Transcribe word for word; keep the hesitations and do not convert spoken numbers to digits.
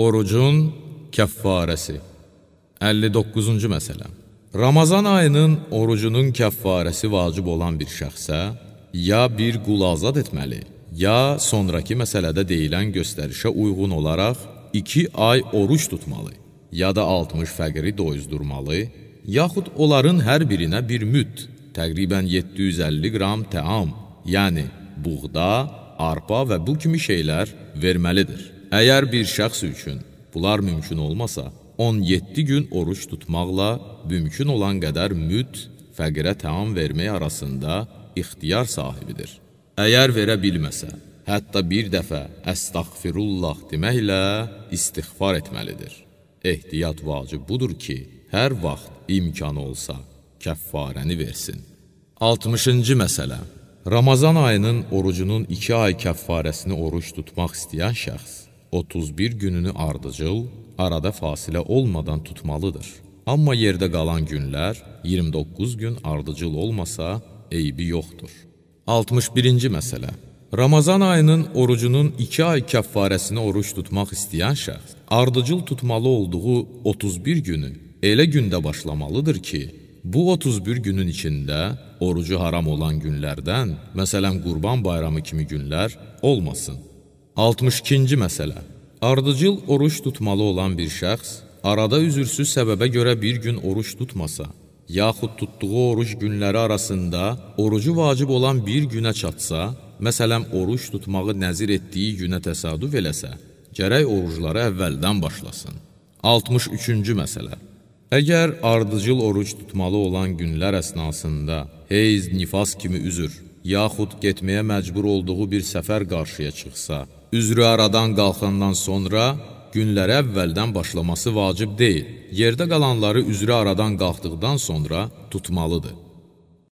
Orucun kəffarəsi. əlli doqquzuncu məsələ. Ramazan ayının orucunun kəffarəsi vacib olan bir şəxsə ya bir qul azad etməli, ya sonraki məsələdə deyilən göstərişə uyğun olaraq iki ay oruç tutmalı, ya da altmış fəqiri doyuzdurmalı, yaxud onların hər birinə bir müd, təqribən yeddi yüz əlli qram təam, yəni buğda, arpa və bu kimi şeylər verməlidir. Əgər bir şəxs üçün bunlar mümkün olmasa, on yeddi gün oruç tutmaqla mümkün olan qədər müd, fəqirə təam vermək arasında ixtiyar sahibidir. Əgər verə bilməsə, hətta bir dəfə əstəğfirullah deməklə istiğfar etməlidir. Ehtiyat vacib budur ki, hər vaxt imkanı olsa, kəffarəni versin. altmışıncı məsələ. Ramazan ayının orucunun iki ay kəffarəsini oruç tutmaq istəyən şəxs otuz bir gününü ardıcıl, arada fasilə olmadan tutmalıdır. Amma yerdə qalan günlər iyirmi doqquz gün ardıcıl olmasa, eybi yoxdur. altmış birinci məsələ. Ramazan ayının orucunun iki ay kəffarəsini oruç tutmaq istəyən şəxs ardıcıl tutmalı olduğu otuz bir günü elə gündə başlamalıdır ki, bu otuz bir günün içində orucu haram olan günlərdən, məsələn Qurban bayramı kimi günlər olmasın. altmış ikinci məsələ. Ardıcıl oruç tutmalı olan bir şəxs arada üzürsüz səbəbə görə bir gün oruç tutmasa, yaxud tutduğu oruç günləri arasında orucu vacib olan bir günə çatsa, məsələn oruç tutmağı nəzir etdiyi günə təsadüf eləsə, gərək orucları əvvəldən başlasın. altmış üçüncü məsələ. Əgər ardıcıl oruç tutmalı olan günlər əsnasında heyz, nifas kimi üzür, yaxud getməyə məcbur olduğu bir səfər qarşıya çıxsa, üzrü aradan qalxandan sonra günləri əvvəldən başlaması vacib deyil. Yerdə qalanları üzrü aradan qalxdıqdan sonra tutmalıdır.